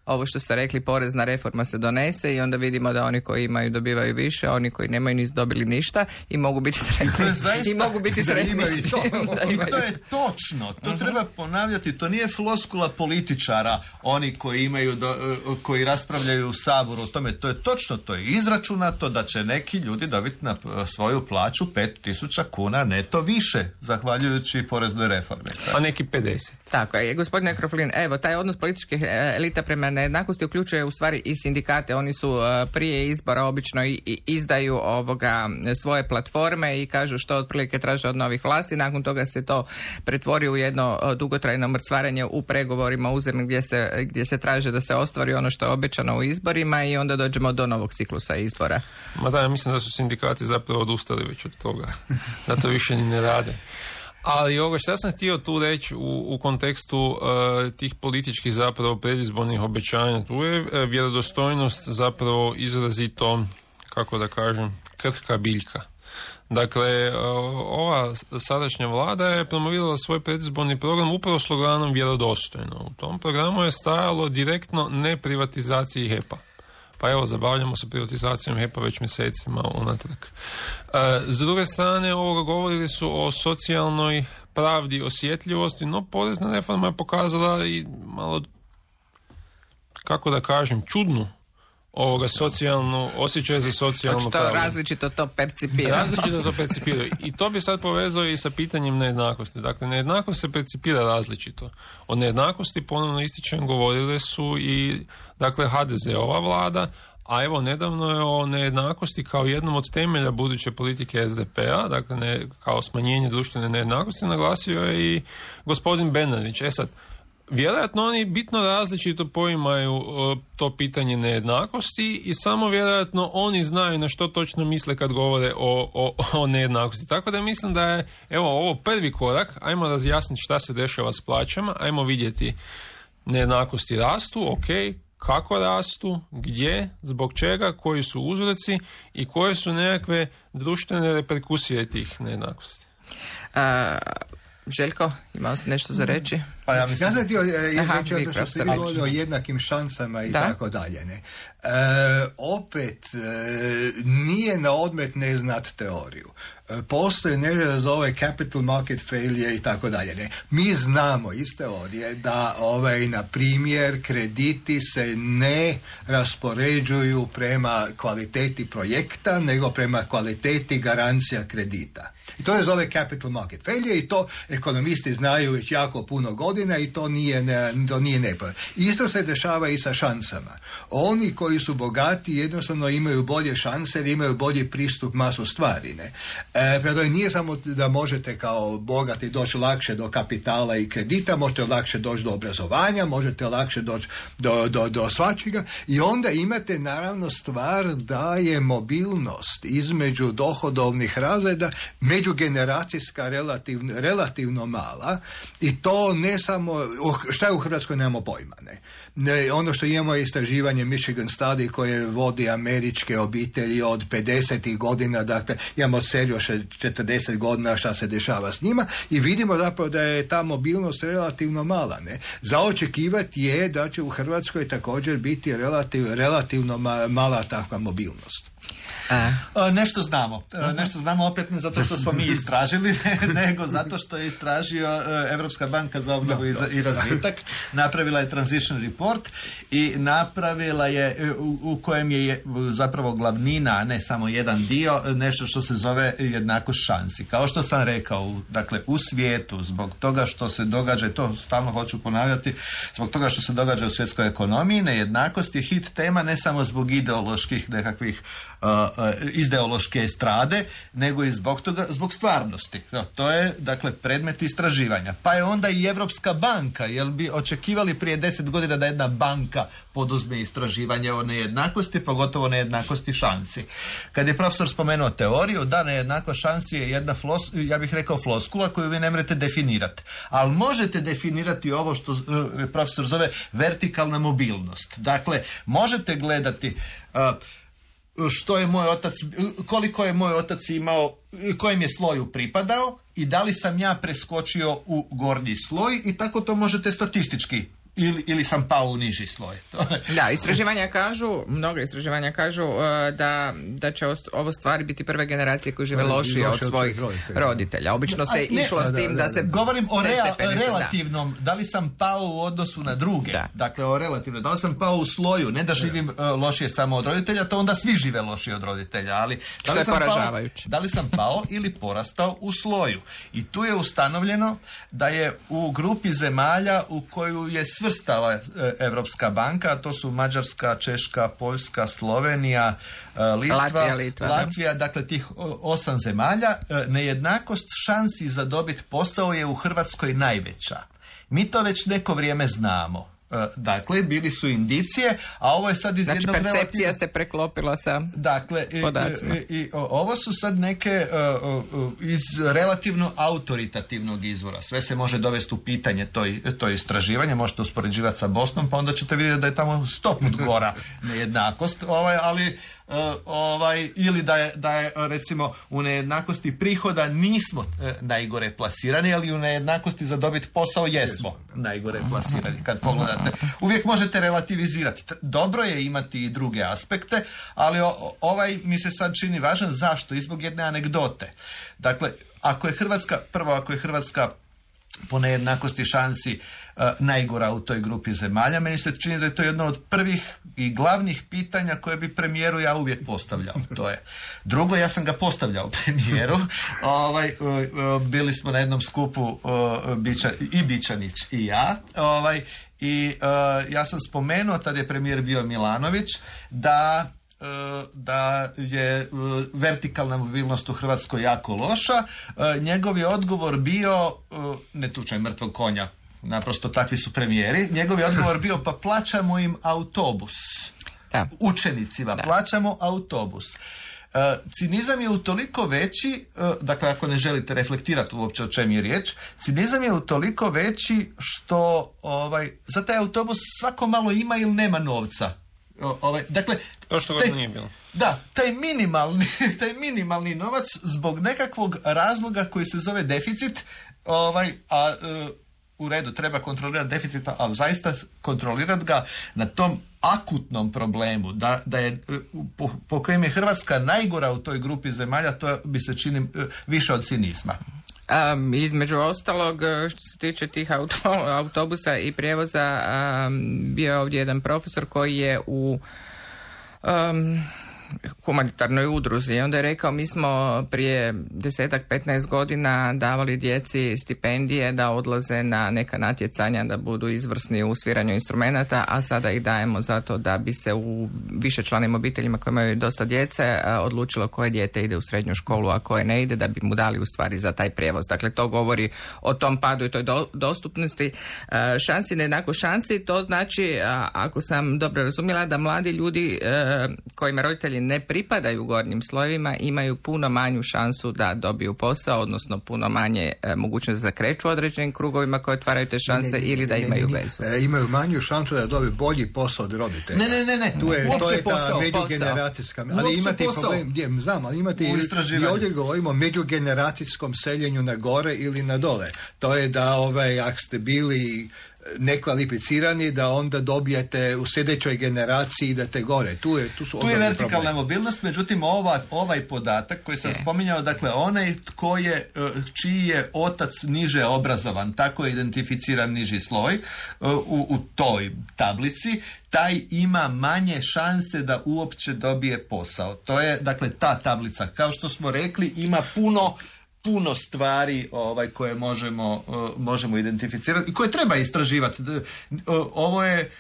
ovo što ste rekli, porezna reforma se donese i onda vidimo da oni koji imaju dobivaju više, oni koji nemaju nisu dobili ništa i mogu biti sretni. I mogu biti sretni s tim. To je točno. To treba ponavljati. To nije floskula političara, oni koji imaju, koji raspravljaju u Saboru o tome. To je točno. To je izračunato da će neki ljudi dobiti na svoju plaću 5.000 kuna neto više, zahvaljujući poreznoj reformi. A neki 50. Tako je. Gospodine Kroflin, evo, taj odnos političkih elita prema nejednakosti uključuje u stvari i sindikate. Oni su prije izbora obično i izdaju svoje platforme i kažu što otprilike traže od novih vlasti. Nakon toga se to pretvori u jedno dugotrajno mrcvarenje u pregovorima uzemnim gdje se traže da se ostvari ono što je obećano u izborima i onda dođemo do novog ciklusa izbora. Ma da, ja mislim da su sindikati zapravo odustali već od toga. Da to više ni ne rade. Ali ovo što sam htio tu reći u kontekstu tih političkih zapravo predizbornih obećanja, tu je vjerodostojnost zapravo izrazito, kako da kažem, krhka biljka. Dakle, ova sadašnja vlada je promovirala svoj predizborni program upravo sloganom vjerodostojno. U tom programu je stajalo direktno ne privatizaciji HEP-a. Pa evo, zabavljamo se privatizacijom HEP-a već mjesecima unatrag. S druge strane, govorili su o socijalnoj pravdi, osjetljivosti, no porezna reforma je pokazala i malo, kako da kažem, čudnu socijalnu, osjećaj za socijalnu pravdu. Različito to percipira. I to bi sad povezao i sa pitanjem nejednakosti. Dakle, nejednakost se percipira različito. O nejednakosti, ponovno ističem, govorile su i HDZ-ova vlada, a evo nedavno je o nejednakosti kao jednom od temelja buduće politike SDP-a, dakle kao smanjenje društvene nejednakosti, naglasio je i gospodin Bernardić. Sad, vjerojatno oni bitno različito poimaju to pitanje nejednakosti i samo vjerojatno oni znaju na što točno misle kad govore o nejednakosti. Tako da mislim da je ovo prvi korak, ajmo razjasniti šta se dešava s plaćama, ajmo vidjeti nejednakosti rastu, kako rastu, gdje, zbog čega, koji su uzroci i koje su nekakve društvene reperkusije tih nejednakosti. Željko, imao si nešto za reći? Pa ja sam htio reći što ste govorili o jednakim šansama i tako dalje. Opet nije na odmet ne znat teoriju. Postoji nešto da zove capital market failure i tako dalje. Mi znamo iz teorije da na primjer krediti se ne raspoređuju prema kvaliteti projekta, nego prema kvaliteti garancija kredita. I to je zove capital market failure i to ekonomisti znaju već jako puno godina i to nije nepoznat. Isto se dešava i sa šansama. Oni koji su bogati jednostavno imaju bolje šanse jer imaju bolji pristup masu stvari. Prema tome nije samo da možete kao bogati doći lakše do kapitala i kredita, možete lakše doći do obrazovanja, možete lakše doći do svačega i onda imate naravno stvar da je mobilnost između dohodovnih razreda međugeneracijska relativno mala i to ne samo, šta je u Hrvatskoj nemamo pojma. Ono što imamo je istraživanje Michigan Study koje vodi američke obitelji od 50. godina, dakle imamo seriju 40 godina šta se dešava s njima i vidimo zapravo da je ta mobilnost relativno mala. Za očekivati je da će u Hrvatskoj također biti relativno mala takva mobilnost. Nešto znamo opet ne zato što smo mi istražili, nego zato što je istražio Europska banka za obnovu i razvitak, napravila je transition report i napravila je u kojem je zapravo glavnina, a ne samo jedan dio, nešto što se zove jednakost šansi. Kao što sam rekao, dakle u svijetu, zbog toga što se događa, i to stalno hoću ponavljati, zbog toga što se događa u svjetskoj ekonomiji, nejednakost je hit tema ne samo zbog ideoloških nekakvih ideološke estrade, nego i zbog stvarnosti. To je, dakle, predmet istraživanja. Pa je onda i Europska banka, jel bi očekivali prije 10 godina da jedna banka poduzme istraživanje o nejednakosti, pogotovo nejednakosti šansi. Kad je profesor spomenuo teoriju, da, nejednakost šansi je jedna ja bih rekao floskula koju vi ne možete definirati. Ali možete definirati ovo što profesor zove vertikalna mobilnost. Dakle, možete gledati što je moj otac, koliko je moj otac imao, kojem je sloju pripadao i da li sam ja preskočio u gornji sloj i tako to možete statistički ili sam pao u niži sloj. Da, mnoga istraživanja kažu da će ovo stvari biti prve generacije koje žive lošije od svojih roditelja. Obično se išlo s tim da se... Govorim o relativnom, da li sam pao u odnosu na druge. Da. Dakle, o relativnom. Da li sam pao u sloju, ne da živim lošije samo od roditelja, to onda svi žive lošije od roditelja, ali... Što je poražavajuće. Da li sam pao ili porastao u sloju. I tu je ustanovljeno da je u grupi zemalja u koju je svrstala Europska banka, a to su Mađarska, Češka, Poljska, Slovenija, Latvija, dakle tih 8 zemalja, nejednakost šansi za dobiti posao je u Hrvatskoj najveća. Mi to već neko vrijeme znamo. Dakle, bili su indicije, a ovo je sad iz jednog percepcija se preklopila sa podacima. I ovo su sad neke iz relativno autoritativnog izvora. Sve se može dovesti u pitanje to istraživanje, možete uspoređivati sa Bosnom, pa onda ćete vidjeti da je tamo 100 put gora nejednakost, ali ili da je recimo u nejednakosti prihoda nismo najgore plasirani, ali u nejednakosti za dobiti posao jesmo najgore plasirani. Kad pogledate, uvijek možete relativizirati. Dobro je imati i druge aspekte, ali ovaj mi se sad čini važan. Zašto? I zbog jedne anegdote. Dakle, ako je Hrvatska po nejednakosti šansi najgora u toj grupi zemalja, meni se čini da je to jedno od prvih i glavnih pitanja koje bi premijeru ja uvijek postavljao. To je. Drugo, ja sam ga postavljao premijeru. Bili smo na jednom skupu i Bičanić i ja. Ja sam spomenuo, tad je premijer bio Milanović, da je vertikalna mobilnost u Hrvatskoj jako loša. Njegov je odgovor bio, ne tučaj mrtvog konja, naprosto takvi su premijeri, njegov je odgovor bio pa plaćamo im autobus. Da. Učenicima plaćamo autobus. Cinizam je utoliko veći, dakle ako ne želite reflektirati uopće o čem je riječ, cinizam je utoliko veći što za taj autobus svako malo ima ili nema novca. Dakle, to što god nije bilo. Da, taj minimalni novac zbog nekakvog razloga koji se zove deficit, u redu, treba kontrolirati deficita, ali zaista kontrolirati ga na tom akutnom problemu, da je po kojem je Hrvatska najgora u toj grupi zemalja, to bi se čini više od cinizma. Između ostalog, što se tiče tih autobusa i prijevoza, bio je ovdje jedan profesor koji je u humanitarnoj udruzi i onda je rekao mi smo prije 10-15 godina davali djeci stipendije da odlaze na neka natjecanja da budu izvrsni u sviranju instrumenata, a sada ih dajemo zato da bi se u višečlanim obiteljima koji imaju dosta djece odlučilo koje dijete ide u srednju školu, a koje ne ide, da bi mu dali u stvari za taj prijevoz. Dakle, to govori o tom padu i toj dostupnosti šansi, nejednako šansi. To znači, ako sam dobro razumjela, da mladi ljudi kojima roditelji ne pripadaju gornjim slojevima imaju puno manju šansu da dobiju posao, odnosno puno manje mogućnost da kreću određenim krugovima koje otvaraju te šanse ili da imaju vezu. Imaju manju šansu da dobiju bolji posao od roditelja. Ne. To je ta međugeneracijska. Ali imate problem, ali imate i ovdje govorimo o međugeneracijskom seljenju na gore ili na dole. To je da ako ste bili nekvalificirani, da onda dobijete u sljedećoj generaciji da te gore. Tu je vertikalna mobilnost, međutim ovaj podatak koji sam spominjao, dakle onaj čiji je otac niže obrazovan, tako je identificiran niži sloj u toj tablici, taj ima manje šanse da uopće dobije posao. To je, dakle, ta tablica, kao što smo rekli, ima puno stvari koje možemo identificirati i koje treba istraživati. Ovo je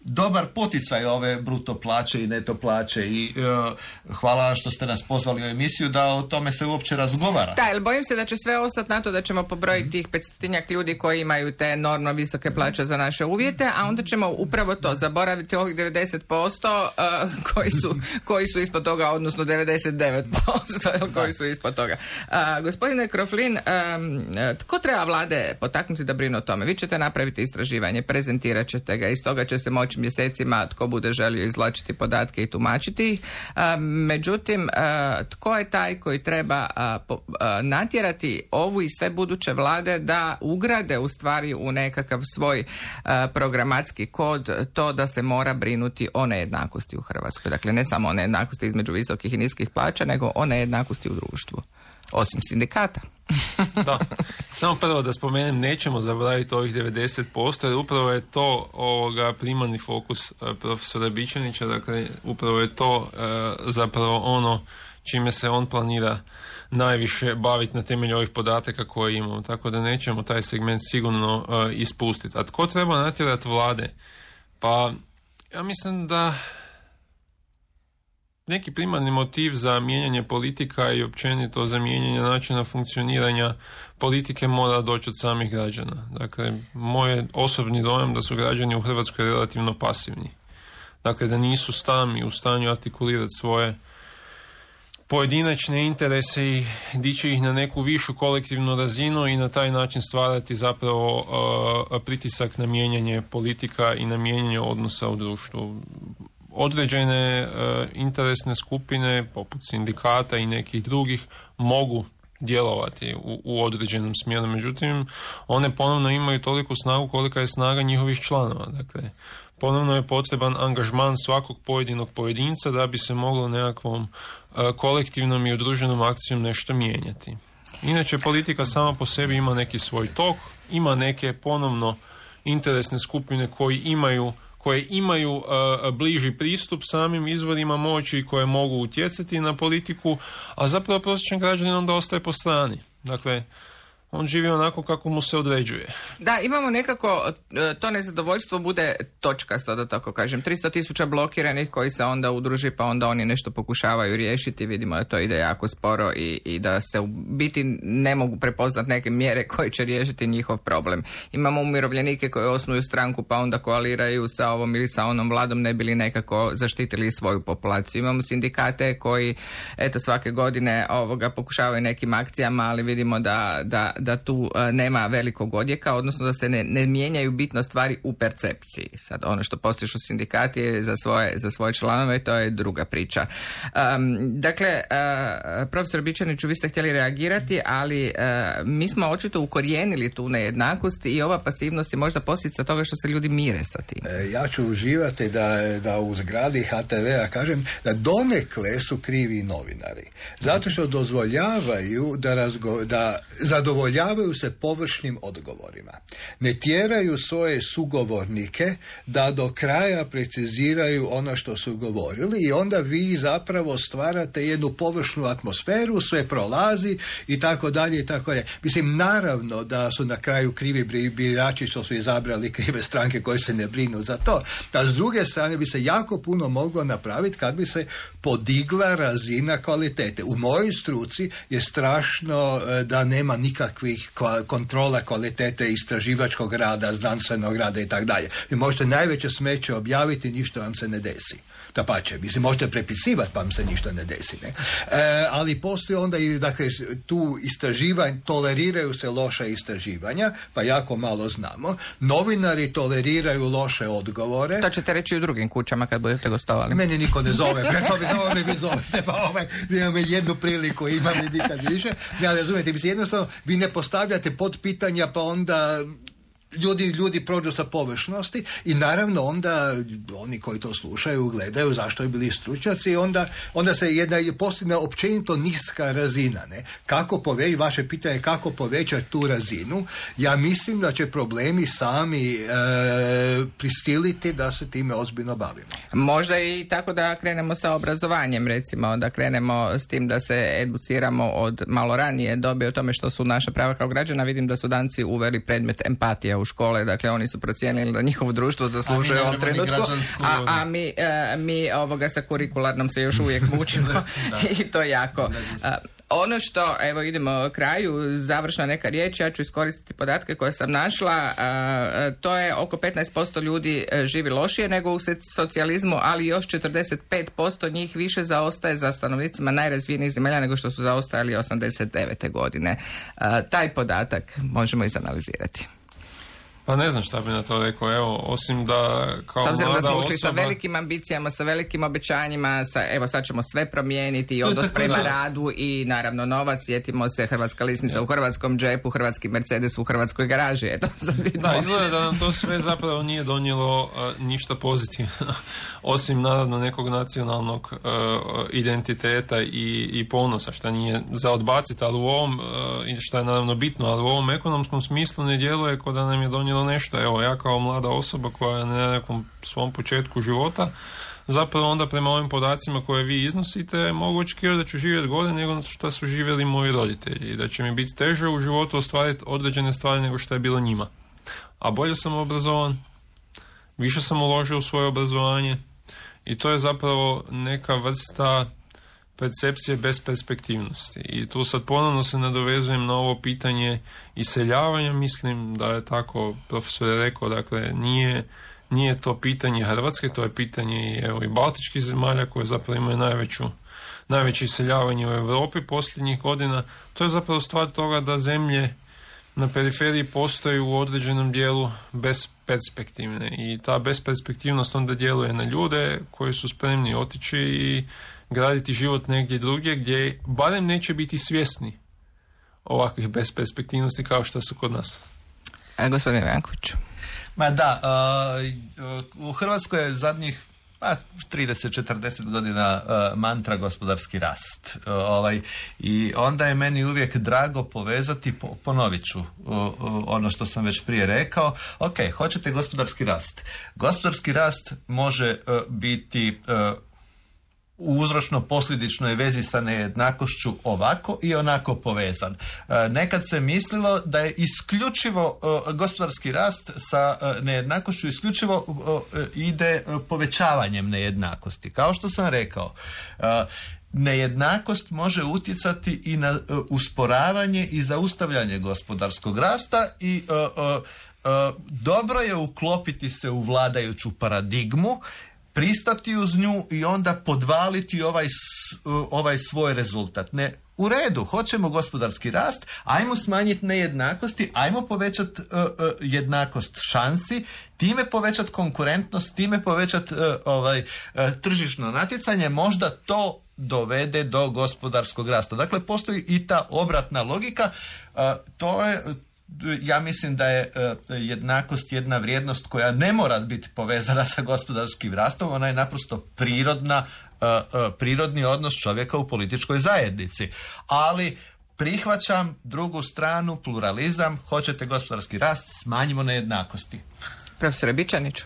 dobar poticaj ove bruto plaće i neto plaće i hvala što ste nas pozvali u emisiju da o tome se uopće razgovara. Da, jer bojim se da će sve ostati na to da ćemo pobrojiti tih 500 ljudi koji imaju te enormno visoke plaće za naše uvjete, a onda ćemo upravo to zaboraviti ovih 90% koji su ispod toga, odnosno 99% koji su ispod toga. Gospodine Kroflin, tko treba vlade potaknuti da brinu o tome? Vi ćete napraviti istraživanje, prezentirat ćete ga, iz toga će se moći mjesecima tko bude želio izvlačiti podatke i tumačiti ih. Međutim, tko je taj koji treba natjerati ovu i sve buduće vlade da ugrade u stvari u nekakav svoj programatski kod to da se mora brinuti o nejednakosti u Hrvatskoj. Dakle, ne samo o nejednakosti između visokih i niskih plaća, nego o nejednakosti u društvu. Osim sindikata. Da, samo prvo da spomenem, nećemo zaboraviti ovih 90%, jer upravo je to primarni fokus profesora Bičanića, dakle upravo je to zapravo ono čime se on planira najviše baviti na temelju ovih podataka koje imamo, tako da nećemo taj segment sigurno ispustiti. A tko treba natjerati vlade? Pa ja mislim da neki primarni motiv za mijenjanje politika i općenito za mijenjanje načina funkcioniranja politike mora doći od samih građana. Dakle, moj je osobni dojam da su građani u Hrvatskoj relativno pasivni. Dakle, da nisu sami u stanju artikulirati svoje pojedinačne interese i dići ih na neku višu kolektivnu razinu i na taj način stvarati zapravo pritisak na mijenjanje politika i na mijenjanje odnosa u društvu. Određene interesne skupine poput sindikata i nekih drugih mogu djelovati u određenom smjeru, međutim one ponovno imaju toliku snagu kolika je snaga njihovih članova. Dakle, ponovno je potreban angažman svakog pojedinog pojedinca da bi se moglo nekakvom kolektivnom i udruženom akcijom nešto mijenjati. Inače, politika sama po sebi ima neki svoj tok, ima neke ponovno interesne skupine koje imaju bliži pristup samim izvorima moći i koje mogu utjecati na politiku, a zapravo prosječan građanin onda ostaje po strani. Dakle, on živi onako kako mu se određuje. Da, imamo nekako, to nezadovoljstvo bude točkasto, da tako kažem. 300,000 blokiranih koji se onda udruži, pa onda oni nešto pokušavaju riješiti. Vidimo da to ide jako sporo i da se u biti ne mogu prepoznati neke mjere koje će riješiti njihov problem. Imamo umirovljenike koji osnuju stranku, pa onda koaliraju sa ovom ili sa onom vladom, ne bili nekako zaštitili svoju populaciju. Imamo sindikate koji, eto, svake godine pokušavaju nekim akcijama, ali vidimo da tu nema velikog odjeka, odnosno da se ne mijenjaju bitno stvari u percepciji. Sad, ono što postižu sindikati je za svoje članove, to je druga priča. Dakle, profesor Bičaniću, vi ste htjeli reagirati, ali mi smo očito ukorijenili tu nejednakost i ova pasivnost je možda posljedica toga što se ljudi mire sa tim. Ja ću uživati da u zgradi HTV-a kažem da donekle su krivi novinari. Zato što dozvoljavaju da zadovoljavaju se površnim odgovorima. Ne tjeraju svoje sugovornike da do kraja preciziraju ono što su govorili i onda vi zapravo stvarate jednu površnu atmosferu, sve prolazi i tako dalje i tako dalje. Mislim, naravno da su na kraju krivi birači što su izabrali krive stranke koje se ne brinu za to. A s druge strane bi se jako puno moglo napraviti kad bi se podigla razina kvalitete. U mojoj struci je strašno da nema nikakvih kontrola kvalitete istraživačkog rada, znanstvenog rada i tako dalje. Vi možete najveće smeće objaviti, ništa vam se ne desi. Dapače, mislim, možete prepisivati pa vam se ništa ne desi. Ne? Ali postoji onda i, dakle, tu istraživanja, toleriraju se loša istraživanja, pa jako malo znamo. Novinari toleriraju loše odgovore. To ćete reći u drugim kućama kad budete gostovali. Meni niko ne zove, vi zovete, pa imam jednu priliku, imam i nikad više. Ja razumijete, mislim, jednostavno vi ne postavljate pod pitanja, pa onda ljudi prođu sa površnosti i naravno onda oni koji to slušaju gledaju zašto je bili stručnjaci i onda se postigne općenito niska razina. Ne? Vaše pitanje je kako povećati tu razinu. Ja mislim da će problemi sami prisiliti da se time ozbiljno bavimo. Možda i tako da krenemo sa obrazovanjem, recimo da krenemo s tim da se educiramo od malo ranije dobe o tome što su naša prava kao građana. Vidim da su Danci uveli predmet empatija u u škole, dakle oni su procijenili da njihovo društvo zaslužuje u ovom trenutku, a mi sa kurikularnom se još uvijek mučimo i to jako. Ono što, evo idemo kraju, završna neka riječ, ja ću iskoristiti podatke koje sam našla, to je oko 15% ljudi živi lošije nego u socijalizmu, ali još 45% njih više zaostaje za stanovnicima najrazvijenijih zemalja nego što su zaostajali 89. godine. Taj podatak možemo izanalizirati. Pa ne znam šta bi na to rekao, evo, osim da kao mlada osoba... S obzirom da smo ušli sa velikim ambicijama, sa velikim obećanjima, evo sad ćemo sve promijeniti i odnos prema radu i naravno novac, sjetimo se hrvatska lisnica u hrvatskom džepu, hrvatski Mercedes u hrvatskoj garaži, eto sad vidimo. Da, izgleda da nam to sve zapravo nije donijelo ništa pozitivno, osim naravno nekog nacionalnog identiteta i ponosa, šta nije za odbaciti, ali u ovom, šta je naravno bitno, ali u ovom ekonomskom smislu ne djeluje kao da nam je donijelo nešto. Evo, ja kao mlada osoba koja je na nekom svom početku života, zapravo onda prema ovim podacima koje vi iznosite mogu očekivati da ću živjeti gore nego što su živjeli moji roditelji i da će mi biti teže u životu ostvariti određene stvari nego što je bilo njima. A bolje sam obrazovan, više sam uložio u svoje obrazovanje i to je zapravo neka vrsta percepcije besperspektivnosti. I tu sad ponovno se nadovezujem na ovo pitanje iseljavanja. Mislim da je tako profesor je rekao, dakle nije to pitanje Hrvatske, to je pitanje i baltičkih zemalja koje zapravo imaju najveće iseljavanje u Europi posljednjih godina. To je zapravo stvar toga da zemlje na periferiji postoji u određenom dijelu besperspektivne i ta besperspektivnost onda djeluje na ljude koji su spremni otići i graditi život negdje drugdje gdje barem neće biti svjesni ovakvih besperspektivnosti kao što su kod nas. Gospodine Janković. Ma da, u Hrvatskoj je zadnjih 30-40 godina mantra gospodarski rast. I onda je meni uvijek drago povezati, ponovit ću ono što sam već prije rekao. Ok, hoćete gospodarski rast. Gospodarski rast može biti u uzročno-posljedičnoj vezi sa nejednakošću ovako i onako povezan. Nekad se mislilo da je isključivo gospodarski rast sa nejednakošću isključivo ide povećavanjem nejednakosti. Kao što sam rekao, nejednakost može utjecati i na usporavanje i zaustavljanje gospodarskog rasta i dobro je uklopiti se u vladajuću paradigmu, pristati uz nju i onda podvaliti ovaj svoj rezultat. Ne, u redu, hoćemo gospodarski rast, ajmo smanjiti nejednakosti, ajmo povećati jednakost šansi, time povećati konkurentnost, time povećati tržišno natjecanje, možda to dovede do gospodarskog rasta. Dakle, postoji i ta obratna logika, ja mislim da je jednakost jedna vrijednost koja ne mora biti povezana sa gospodarskim rastom, ona je naprosto prirodni odnos čovjeka u političkoj zajednici. Ali prihvaćam drugu stranu, pluralizam, hoćete gospodarski rast, smanjimo nejednakosti. Profesore Bičaniću.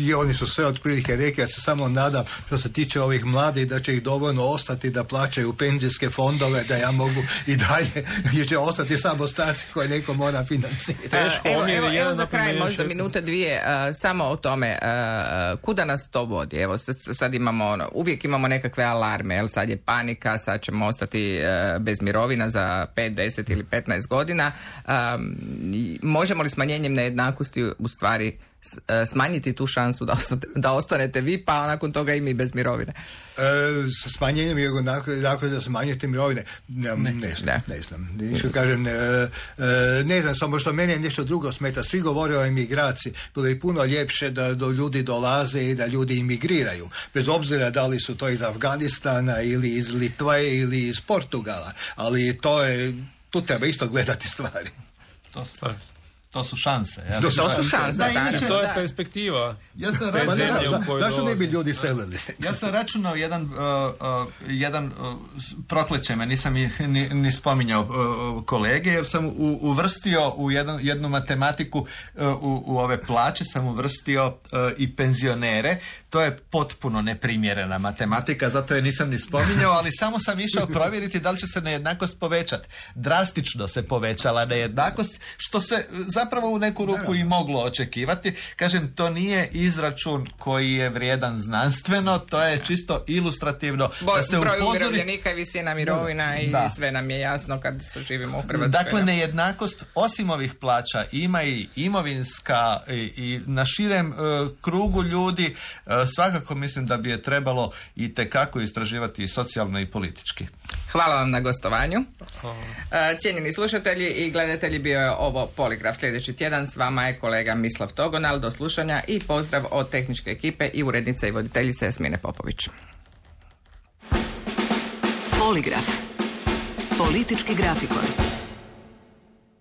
I oni su sve otprilike rekli, ja se samo nadam što se tiče ovih mladih da će ih dovoljno ostati da plaćaju penzijske fondove, da ja mogu i dalje, jer će ostati samo starci koje neko mora financirati. Evo za kraj možda minute dvije samo o tome kuda nas to vodi. Evo sad imamo uvijek imamo nekakve alarme, jel sad je panika, sad ćemo ostati bez mirovina za 5, 10 ili 15 godina. Možemo li smanjenjem nejednakosti u stvari smanjiti tu šansu da ostanete vi, pa nakon toga i mi bez mirovine? Smanjenjem je dakle da smanjite mirovine. Ne znam, samo što meni nešto drugo smeta. Svi govore o emigraciji. Bilo je puno ljepše da do ljudi dolaze i da ljudi imigriraju. Bez obzira da li su to iz Afganistana ili iz Litve ili iz Portugala. Ali tu treba isto gledati stvari. To su šanse. To su šanse. To je perspektiva. Ja sam zašto ne bi ljudi selili? Ja sam računao jedan prokleće me, nisam ni spominjao kolege, jer sam uvrstio u jednu matematiku u ove plaće, sam uvrstio i penzionere. To je potpuno neprimjerena matematika, zato je nisam ni spominjao, ali samo sam išao provjeriti da li će se nejednakost povećati. Drastično se povećala nejednakost, što se zapravo u neku ruku i moglo očekivati. Kažem, to nije izračun koji je vrijedan znanstveno, to je čisto ilustrativno. Da se broj upozori... umirovljenika i visina mirovina i sve nam je jasno kad živimo u Hrvatskoj. Dakle, nejednakost osim ovih plaća ima i imovinska i na širem krugu ljudi. Svakako mislim da bi je trebalo i tekako istraživati i socijalno i politički. Hvala vam na gostovanju. Cijenjeni slušatelji i gledatelji, bio je ovo Poligraf. Sljedeći tjedan s vama je kolega Mislav Togonal. Do slušanja i pozdrav od tehničke ekipe i urednice i voditeljice Jasmine Popović. Poligraf. Politički grafikon.